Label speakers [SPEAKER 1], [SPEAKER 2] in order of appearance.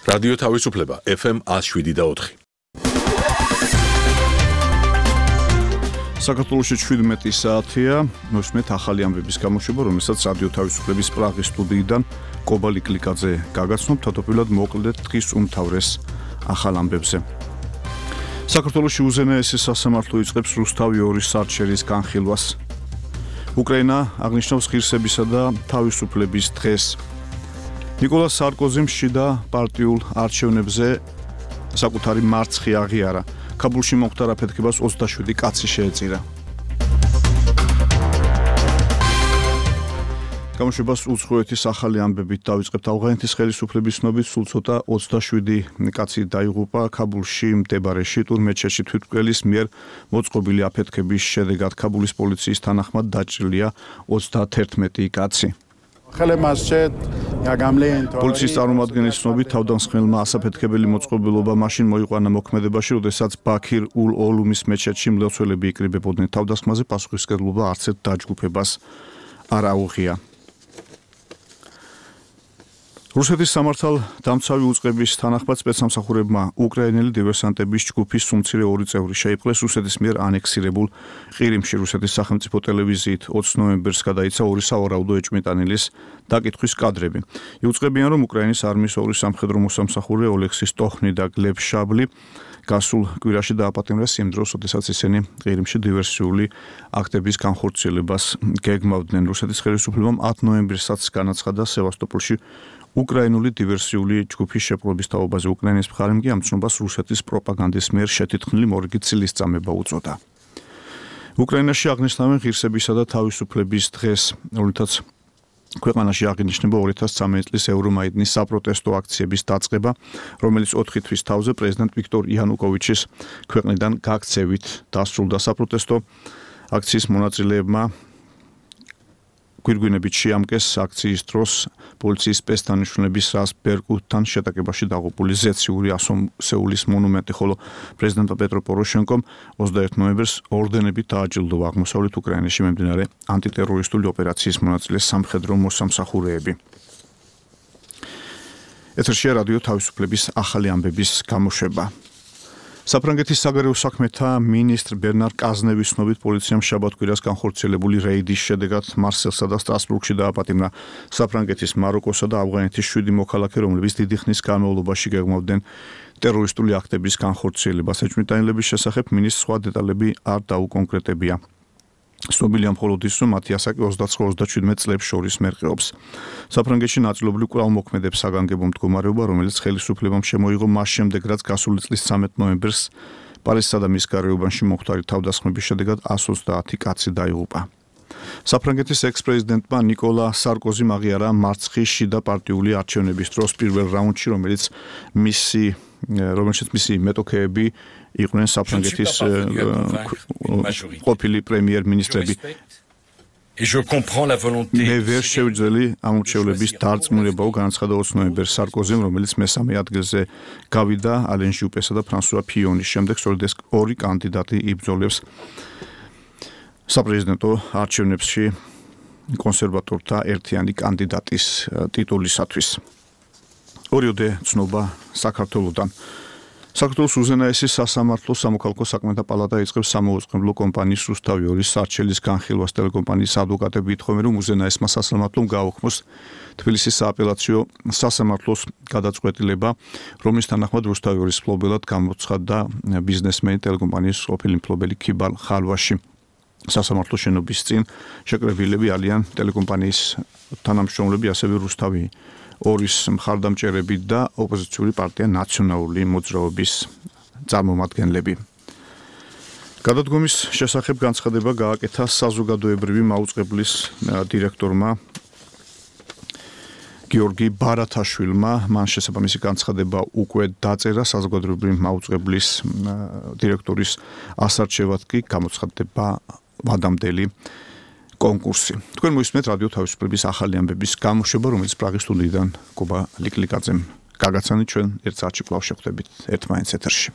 [SPEAKER 1] რადიო თავისუფლება FM 107.4.
[SPEAKER 2] საქართველოში 17 საათია, მოსმეთ ახალი ამბების გამოშვება, რომელსაც რადიო თავისუფლების პრაღის სტუდიიდან კობალი კლიკაძე გაგაცნობთ, თავდაპირველად მოკლედ დღის უმთავრეს ახალ ამბებზე. საქართველოში უზენაესი სასამართლო იწყებს რუსთავი 2 სარჩელის განხილვას. უკრაინა აღნიშნავს ღირსებისა და თავისუფლების დღეს. ნიკოლას სარკოზიმ შიდა პარტიულ არჩევნებზე საკუთარი მარცხი აღიარა. ქაბულში მომხდარ აფეთქებას 27 კაცი შეეწირა. გამოშვებას უცხოეთის ახალი ამბებით დავიწყებთ. ავღანეთის ხელისუფლების ცნობით სულ ცოტა 27 კაცი დაიღუპა ქაბულში მდებარე შიტურ მეჩეთში თვითმკვლელის მიერ მოწყობილი აფეთქების შედეგად. ქაბულის პოლიციის თანახმად დაჭრილია 31 კაცი. პოლიციის წარმომადგენლის ცნობით თავდამსხმელმა ასაფეთქებელი მოწყობილობა მაშინ მოიყვანა მოქმედებაში, როდესაც ბაქირ ულ-ოლუმის მეჩეთში მლოცველები იკრიბებოდნენ. თავდასხმაზე პასუხისმგებლობა არც ერთ დაჯგუფებას არ აუღია. რუსეთის სამართალდამცავი უწყების თანახმად სპეცსამსახურებმა უკრაინელი დივერსანტების ჯგუფის უმცირე 2 წევრი შეიპყრეს რუსეთის მიერ ანექსირებულ ყირიმში. რუსეთის სახელმწიფო ტელევიზიით 20 ნოემბერს გადაიცა 2 სავარაუდო ეჭვმიტანილის დაკითხვის კადრები. იუწყებიან, რომ უკრაინის არმიის 2 სამხედრო მოსამსახურე ოლექსი სტოხნი და გლებ შაბლი გასულ კვირაში დააპატიმრეს იმ დროს, როდესაც ისინი ყირიმში დივერსიული აქტების განხორციელებას გეგმავდნენ. რუსეთის ხელისუფლებამ 10 ნოემბრისაც განაცხადა სევასტოპოლში უკრაინული დივერსიული ჯგუფის შეპყრობის თაობაზე. უკრაინის მხარემ კი ამ ცნობას რუსეთის პროპაგანდის მიერ შეთითქმული მორიგი წილისწამება უწოდა. უკრაინაში აღნიშნავენ ღირსებისა და თავისუფლების დღეს, რომლითაც ქვეყანაში აღინიშნება 2013 წლის ევრომაიდნის საპროტესტო აქციების დაწყება, რომელიც 4 თვის თავზე პრეზიდენტ ვიქტორ იანუკოვიჩის ქვეყნიდან გაქცევით დასრულდა. საპროტესტო აქციის მონაწილეებმა გვირგვინებით შეამკეს აქციის დროს პოლიციის სპეცდანიშნულების რას ბერკუტთან შეტაკებაში დაღუპული ზეციური ასომსეულის მონუმენტი, ხოლო პრეზიდენტ პეტრო პოროშენკომ 21 ნოემბერს ორდენებით დააჯილდოვა აღმოსავლეთ უკრაინაში მიმდინარე ანტიტერორისტული ოპერაციის მონაწილე სამხედრო მოსამსახურეები. ეთერშია რადიო თავისუფლების ახალი ამბების გამოშვება. საფრანგეთის საგარეო საქმეთა მინისტრ ბერნარ კაზნევის ცნობით პოლიციამ შაბათ-კვირას განხორციელებული რეიდის შედეგად მარსელსა და სტრასბურგში დააპატიმრა საფრანგეთის, მაროკოსა და ავღანეთის 7 მოქალაქე, რომლებიც დიდი ხნის განმავლობაში გეგმავდნენ ტერორისტული აქტების განხორციელებას. ეჭვმიტანილების შესახებ მინისტრს სხვა დეტალები არ დაუკონკრეტებია. ცნობილია მხოლოდ ის, რომ მათი ასაკი 29-37 წლებს შორის მერყეობს. საფრანგეთში ნაწილობრივ კვლავ მოქმედებს საგანგებო მდგომარეობა, რომელიც ხელისუფლებამ შემოიღო მას შემდეგ, რაც გასული წლის 13 ნოემბერს პარიზსა და მის გარეუბანში მომხდარი თავდასხმების შედეგად 130 კაცი დაიღუპა. საფრანგეთის ექს-პრეზიდენტმა ნიკოლა სარკოზიმ აღიარა მარცხი შიდა პარტიული არჩევნების დროს პირველ რაუნდში, რომელშიც მისი მეტოქეები იყვნენ საფრანგეთის ყოფილი პრემიერ-მინისტრები. მე ვერ შევძელი ამორჩევლების დარწმუნებაო, განაცხადა 20 ნოემბერს სარკოზიმ, რომელიც მესამე ადგილზე გავიდა ალენ ჟუპესა და ფრანსუა ფიონის შემდეგ. სწორედ ეს 2 კანდიდატი იბრძოლებს საპრეზიდენტო არჩევნებში კონსერვატორთა ერთიანი კანდიდატის ტიტულისათვის. ორიოდე ცნობა საქართველოდან. საქართველოს უზენაესი სასამართლო სამოქალაქო საქმეთა პალატა იწყებს სამოუწყებლო კომპანიის რუსთავი 2 სარჩელის განხილვას. ტელეკომპანიის ადვოკატები ითხოვენ, რომ უზენაესმა სასამართლომ გააუქმოს თბილისის სააპელაციო სასამართლოს გადაწყვეტილება, რომლის თანახმად რუსთავი 2-ის მფლობელად გამოცხადდა ბიზნესმენი ტელეკომპანიის ყოფილი მფლობელი ქიბალ ხალვაში. სასამართლო შენობის წინ შეკრებილები არიან ტელეკომპანიის თანამშრომლები, ასევე რუსთავი 2-ის მხარდამჭერები და ოპოზიციური პარტია ნაციონალური მოძრაობის წარმომადგენლები. გადადგომის შესახებ განცხადება გააკეთა საზოგადოებრივი მაუწყებლის დირექტორმა გიორგი ბარათაშვილმა. მან შესაბამისი განცხადება უკვე დაწერა. საზოგადოებრივი მაუწყებლის დირექტორის ასარჩევად კი გამოცხადდება ვადამდელი კონკურსი. თქვენ მოისმენთ რადიო თავისუფლების ახალი ამბების გამოშვება, რომელიც პრაღის სტუდიიდან კობა ლიკლიკაძემ გაგაცანით. ჩვენ ერთ საათში კვლავ შევხვდებით ერთმანეთს ეთერში.